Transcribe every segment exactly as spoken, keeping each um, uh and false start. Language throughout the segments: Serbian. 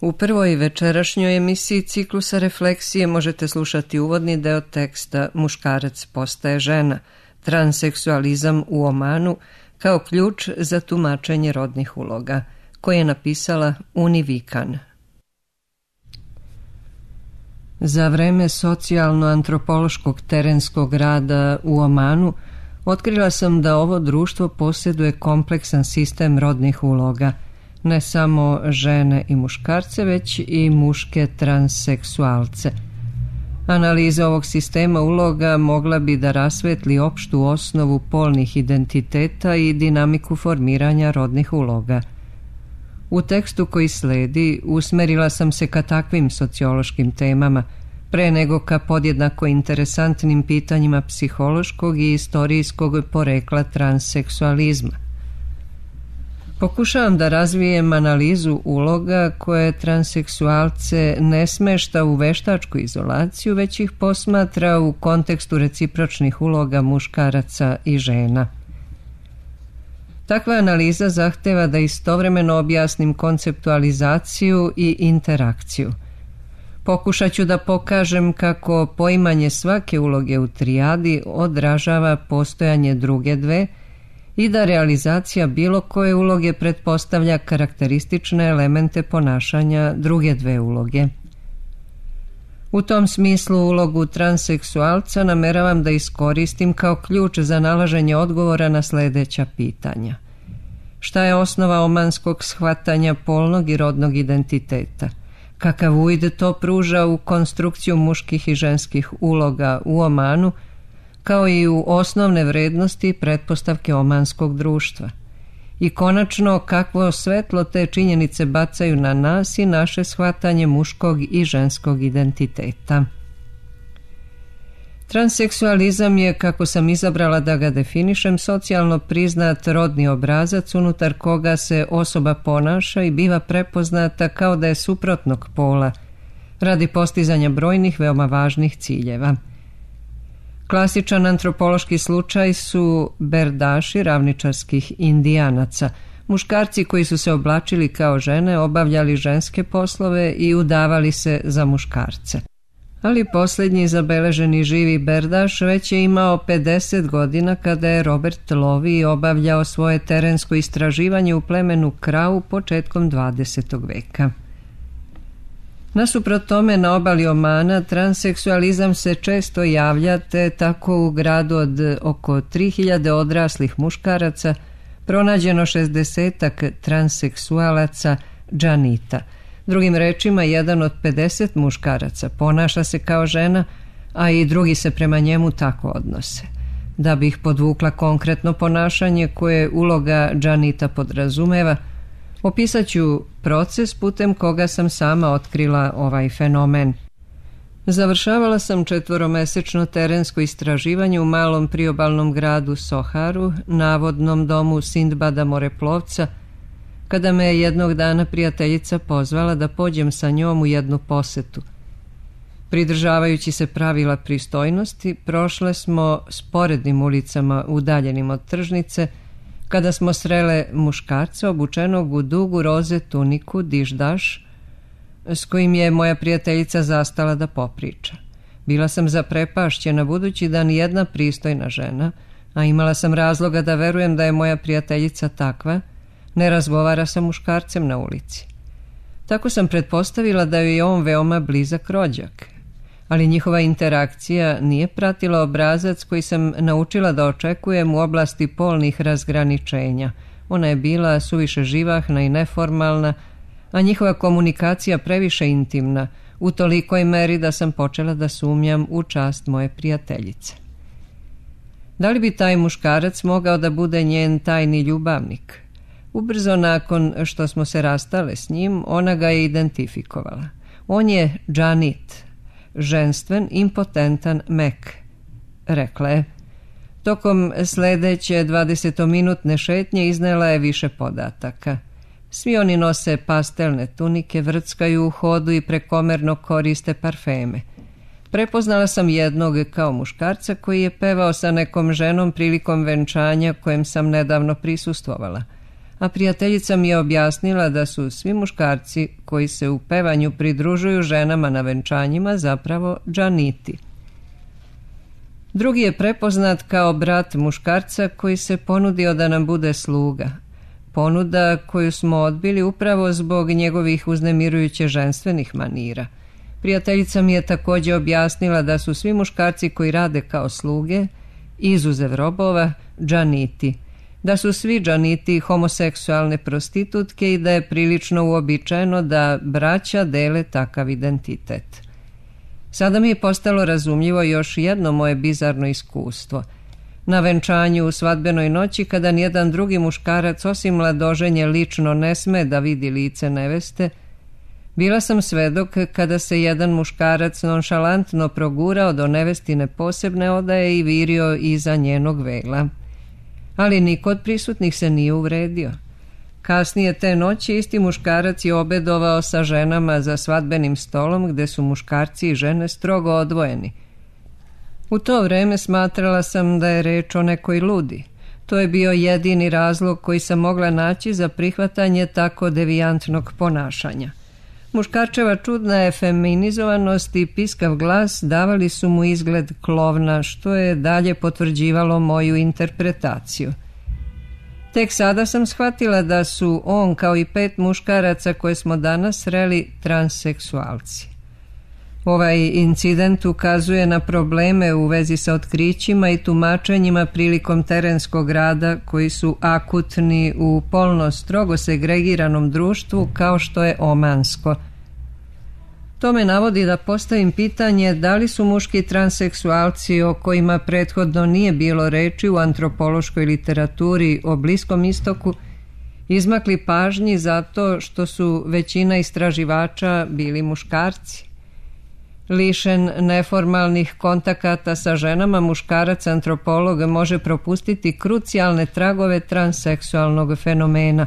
U prvoj večerašnjoj emisiji ciklusa Refleksije možete slušati uvodni deo teksta Muškarac postaje žena, transseksualizam u Omanu kao ključ za tumačenje rodnih uloga, koje je napisala Uni Vikan. Za vreme socijalno-antropološkog terenskog rada u Omanu otkrila sam da ovo društvo posjeduje kompleksan sistem rodnih uloga, ne samo žene i muškarce, već i muške transseksualce. Analiza ovog sistema uloga mogla bi da rasvetli opštu osnovu polnih identiteta i dinamiku formiranja rodnih uloga. U tekstu koji sledi usmerila sam se ka takvim sociološkim temama, pre nego ka podjednako interesantnim pitanjima psihološkog i istorijskog porekla transseksualizma. Pokušavam da razvijem analizu uloga koje transseksualce ne smešta u veštačku izolaciju, već ih posmatra u kontekstu recipročnih uloga muškaraca i žena. Takva analiza zahteva da istovremeno objasnim konceptualizaciju i interakciju. Pokušat ću da pokažem kako poimanje svake uloge u trijadi odražava postojanje druge dve i da realizacija bilo koje uloge pretpostavlja karakteristične elemente ponašanja druge dve uloge. U tom smislu ulogu transseksualca nameravam da iskoristim kao ključ za nalaženje odgovora na sledeća pitanja. Šta je osnova omanskog shvatanja polnog i rodnog identiteta? Kakav uvid to pruža u konstrukciju muških i ženskih uloga u Omanu, kao i u osnovne vrednosti i pretpostavke omanskog društva? I konačno, kakvo svetlo te činjenice bacaju na nas i naše shvatanje muškog i ženskog identiteta? Transseksualizam je, kako sam izabrala da ga definišem, socijalno priznat rodni obrazac unutar koga se osoba ponaša i biva prepoznata kao da je suprotnog pola, radi postizanja brojnih veoma važnih ciljeva. Klasičan antropološki slučaj su berdaši ravničarskih indijanaca, muškarci koji su se oblačili kao žene, obavljali ženske poslove i udavali se za muškarce. Ali posljednji zabeleženi živi berdaš već je imao pedeset godina kada je Robert Lovi obavljao svoje terensko istraživanje u plemenu Krau početkom dvadesetog veka. Nasuprot tome, na obali Omana transseksualizam se često javlja, te tako u gradu od oko tri hiljade odraslih muškaraca pronađeno šezdesetak transseksualaca džanita. Drugim rečima, jedan od pedeset muškaraca ponaša se kao žena, a i drugi se prema njemu tako odnose. Da bih podvukla konkretno ponašanje koje uloga džanita podrazumeva, opisat ću proces putem koga sam sama otkrila ovaj fenomen. Završavala sam četvoromesečno terensko istraživanje u malom priobalnom gradu Soharu, navodnom domu Sindbada moreplovca, kada me je jednog dana prijateljica pozvala da pođem sa njom u jednu posetu. Pridržavajući se pravila pristojnosti, prošle smo sporednim ulicama udaljenim od tržnice, kada smo srele muškarca obučenog u dugu roze tuniku diždaš, s kojim je moja prijateljica zastala da popriča. Bila sam zaprepašćena budući da nijedna pristojna žena, a imala sam razloga da verujem da je moja prijateljica takva, ne razgovara sa muškarcem na ulici. Tako sam pretpostavila da joj je on veoma blizak rođak. Ali njihova interakcija nije pratila obrazac koji sam naučila da očekujem u oblasti polnih razgraničenja. Ona je bila suviše živahna i neformalna, a njihova komunikacija previše intimna, u tolikoj meri da sam počela da sumnjam u čast moje prijateljice. Da li bi taj muškarac mogao da bude njen tajni ljubavnik? Ubrzo nakon što smo se rastale s njim, ona ga je identifikovala. On je džanit, ženstven, impotentan mek, rekla je. Tokom sledeće dvadesetominutne šetnje iznela je više podataka. Svi oni nose pastelne tunike, vrckaju u hodu i prekomerno koriste parfeme. Prepoznala sam jednog kao muškarca koji je pevao sa nekom ženom prilikom venčanja kojem sam nedavno prisustvovala. a prijateljica mi je objasnila da su svi muškarci koji se u pevanju pridružuju ženama na venčanjima zapravo džaniti. Drugi je prepoznat kao brat muškarca koji se ponudio da nam bude sluga. Ponuda koju smo odbili upravo zbog njegovih uznemirujuće ženstvenih manira. Prijateljica mi je također objasnila da su svi muškarci koji rade kao sluge, izuzev robova, džaniti. Da su svi džaniti homoseksualne prostitutke i da je prilično uobičajeno da braća dele takav identitet. Sada mi je postalo razumljivo još jedno moje bizarno iskustvo. Na venčanju u svadbenoj noći, kada nijedan drugi muškarac osim mladoženje lično ne sme da vidi lice neveste, bila sam svedok kada se jedan muškarac nonšalantno progurao do nevestine posebne odaje i virio iza njenog vela. Ali niko od prisutnih se nije uvredio. Kasnije te noći isti muškarac je obedovao sa ženama za svadbenim stolom gde su muškarci i žene strogo odvojeni. U to vreme smatrala sam da je reč o nekoj ludi. To je bio jedini razlog koji sam mogla naći za prihvatanje tako devijantnog ponašanja. Muškarčeva čudna efeminizovanost i piskav glas davali su mu izgled klovna, što je dalje potvrđivalo moju interpretaciju. Tek sada sam shvatila da su on, kao i pet muškaraca koje smo danas sreli, transseksualci. Ovaj incident ukazuje na probleme u vezi sa otkrićima i tumačenjima prilikom terenskog rada koji su akutni u polno strogo segregiranom društvu kao što je omansko. To me navodi da postavim pitanje da li su muški transseksualci o kojima prethodno nije bilo reči u antropološkoj literaturi o Bliskom istoku izmakli pažnji zato što su većina istraživača bili muškarci. Lišen neformalnih kontakata sa ženama, muškarac antropolog može propustiti krucijalne tragove transseksualnog fenomena.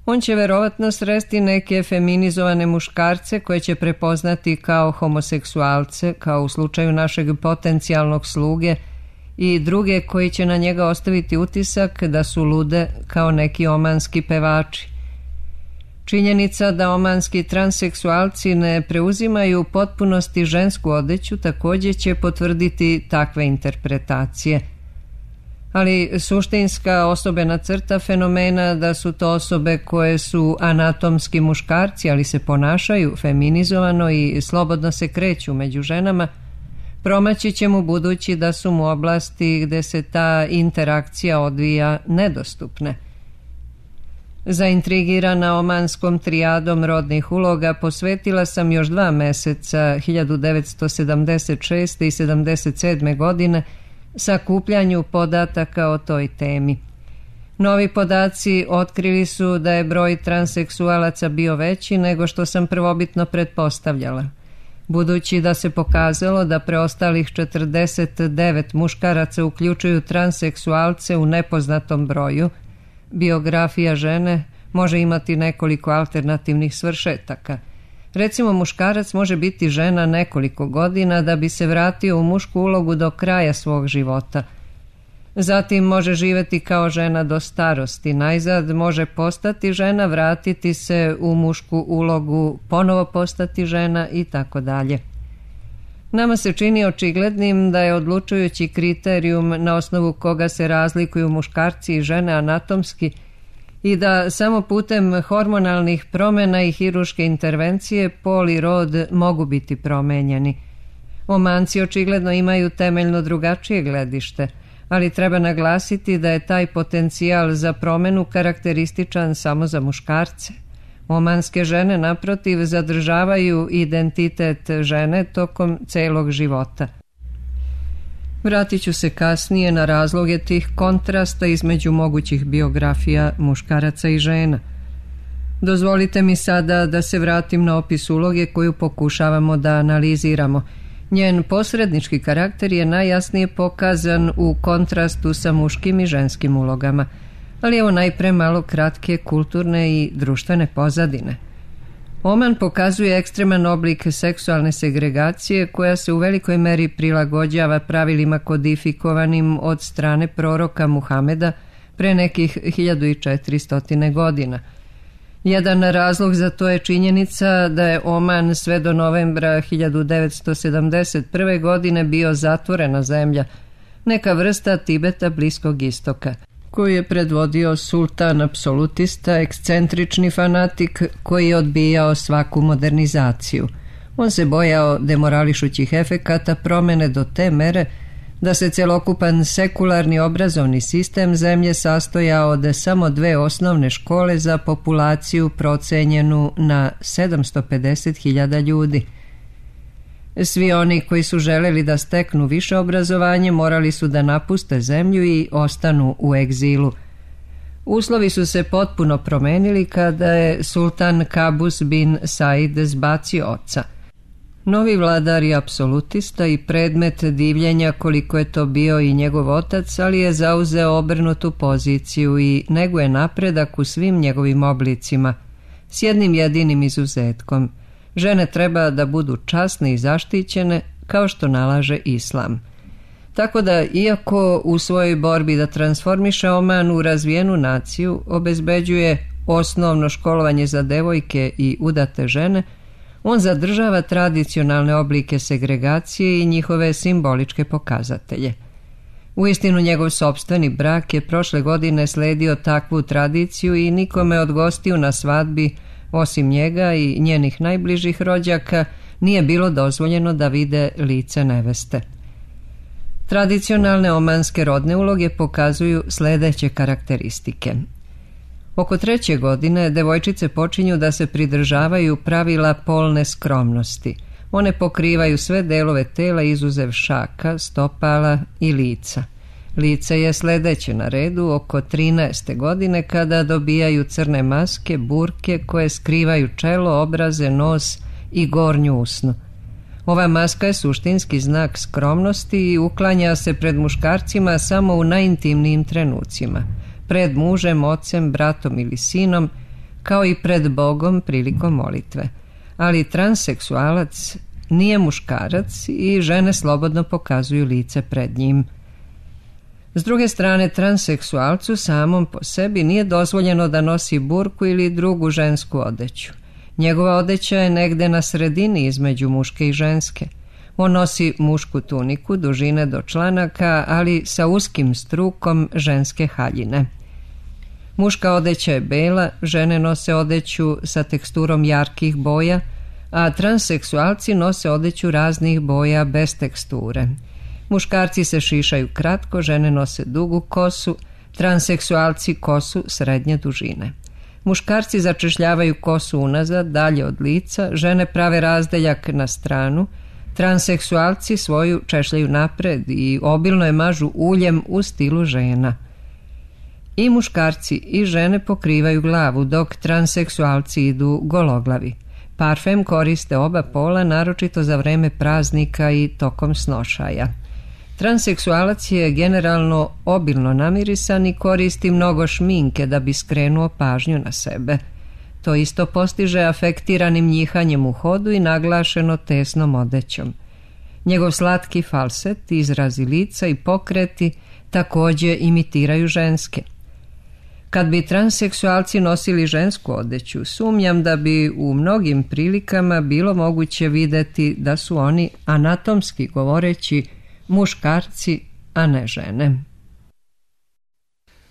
On će verovatno sresti neke feminizovane muškarce koje će prepoznati kao homoseksualce, kao u slučaju našeg potencijalnog sluge, i druge koji će na njega ostaviti utisak da su lude kao neki omanski pevači. Činjenica da omanski transseksualci ne preuzimaju u potpunosti žensku odeću također će potvrditi takve interpretacije. Ali suštinska osobena crta fenomena da su to osobe koje su anatomski muškarci, ali se ponašaju feminizovano i slobodno se kreću među ženama, promaći će mu budući da su mu oblasti gde se ta interakcija odvija nedostupne. Zaintrigirana omanskom trijadom rodnih uloga posvetila sam još dva meseca hiljadu devetsto sedamdeset šeste. i sedamdeset sedme. godine sakupljanju podataka o toj temi. Novi podaci otkrili su da je broj transseksualaca bio veći nego što sam prvobitno pretpostavljala. Budući da se pokazalo da preostalih četrdeset devet muškaraca uključuju transseksualce u nepoznatom broju, biografija žene može imati nekoliko alternativnih svršetaka. Recimo, muškarac može biti žena nekoliko godina da bi se vratio u mušku ulogu do kraja svog života. Zatim može živjeti kao žena do starosti, najzad može postati žena, vratiti se u mušku ulogu, ponovo postati žena i tako dalje. Nama se čini očiglednim da je odlučujući kriterijum na osnovu koga se razlikuju muškarci i žene anatomski i da samo putem hormonalnih promjena i hiruške intervencije pol i rod mogu biti promenjeni. Omanci očigledno imaju temeljno drugačije gledište, ali treba naglasiti da je taj potencijal za promjenu karakterističan samo za muškarce. Omanske žene, naprotiv, zadržavaju identitet žene tokom celog života. Vratit ću se kasnije na razloge tih kontrasta između mogućih biografija muškaraca i žena. Dozvolite mi sada da se vratim na opis uloge koju pokušavamo da analiziramo. Njen posrednički karakter je najjasnije pokazan u kontrastu sa muškim i ženskim ulogama. Ali evo najpre malo kratke kulturne i društvene pozadine. Oman pokazuje ekstreman oblik seksualne segregacije koja se u velikoj meri prilagođava pravilima kodifikovanim od strane proroka Muhameda, pre nekih hiljadu četiristo godina. Jedan razlog za to je činjenica da je Oman sve do novembra hiljadu devetsto sedamdeset prve. godine bio zatvorena zemlja, neka vrsta Tibeta Bliskog istoka, koju je predvodio sultan apsolutista, ekscentrični fanatik koji je odbijao svaku modernizaciju. On se bojao demorališućih efekata promene do te mere da se celokupan sekularni obrazovni sistem zemlje sastojao od samo dve osnovne škole za populaciju procenjenu na sedamsto pedeset hiljada ljudi. Svi oni koji su želeli da steknu više obrazovanje morali su da napuste zemlju i ostanu u egzilu. Uslovi su se potpuno promenili kada je sultan Kabus bin Said zbacio oca. Novi vladar je apsolutista i predmet divljenja koliko je to bio i njegov otac, ali je zauzeo obrnutu poziciju i neguje napredak u svim njegovim oblicima, s jednim jedinim izuzetkom. Žene treba da budu časne i zaštićene kao što nalaže islam. Tako da, iako u svojoj borbi da transformiše Oman u razvijenu naciju obezbeđuje osnovno školovanje za devojke i udate žene, on zadržava tradicionalne oblike segregacije i njihove simboličke pokazatelje. Uistinu, njegov sopstveni brak je prošle godine sledio takvu tradiciju i nikome od gostiju na svadbi, osim njega i njenih najbližih rođaka, nije bilo dozvoljeno da vide lice neveste. Tradicionalne omanske rodne uloge pokazuju sledeće karakteristike. Oko treće godine devojčice počinju da se pridržavaju pravila polne skromnosti. One pokrivaju sve delove tela izuzev šaka, stopala i lica. Lice je sledeće na redu oko trinaeste godine kada dobijaju crne maske, burke koje skrivaju čelo, obraze, nos i gornju usnu. Ova maska je suštinski znak skromnosti i uklanja se pred muškarcima samo u najintimnijim trenucima, pred mužem, ocem, bratom ili sinom, kao i pred Bogom prilikom molitve. Ali transseksualac nije muškarac i žene slobodno pokazuju lice pred njim. S druge strane, transseksualcu samom po sebi nije dozvoljeno da nosi burku ili drugu žensku odeću. Njegova odeća je negde na sredini između muške i ženske. On nosi mušku tuniku dužine do članaka, ali sa uskim strukom ženske haljine. Muška odeća je bela, žene nose odeću sa teksturom jarkih boja, a transseksualci nose odeću raznih boja bez teksture. Muškarci se šišaju kratko, žene nose dugu kosu, transseksualci kosu srednje dužine. Muškarci začešljavaju kosu unazad, dalje od lica, žene prave razdeljak na stranu, transseksualci svoju češljaju napred i obilno je mažu uljem u stilu žena. I muškarci i žene pokrivaju glavu, dok transseksualci idu gologlavi. Parfem koriste oba pola, naročito za vreme praznika i tokom snošaja. Transseksualac je generalno obilno namirisan i koristi mnogo šminke da bi skrenuo pažnju na sebe. To isto postiže afektiranim njihanjem u hodu i naglašeno tesnom odećom. Njegov slatki falset, izrazi lica i pokreti takođe imitiraju ženske. Kad bi transseksualci nosili žensku odeću, sumnjam da bi u mnogim prilikama bilo moguće videti da su oni, anatomski govoreći, muškarci, a ne žene.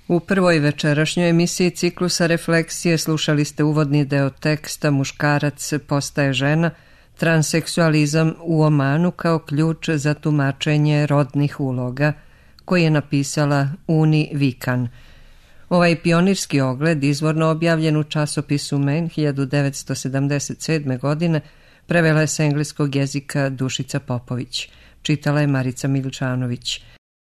U prvoj večerašnjoj emisiji ciklusa Refleksije slušali ste uvodni deo teksta Muškarac postaje žena, transseksualizam u Omanu kao ključ za tumačenje rodnih uloga, koji je napisala Uni Vikan. Ovaj pionirski ogled, izvorno objavljen u časopisu Men hiljadu devetsto sedamdeset sedme. godine, prevela je s engleskog jezika Dušica Popović. Čitala je Marica Miličanović.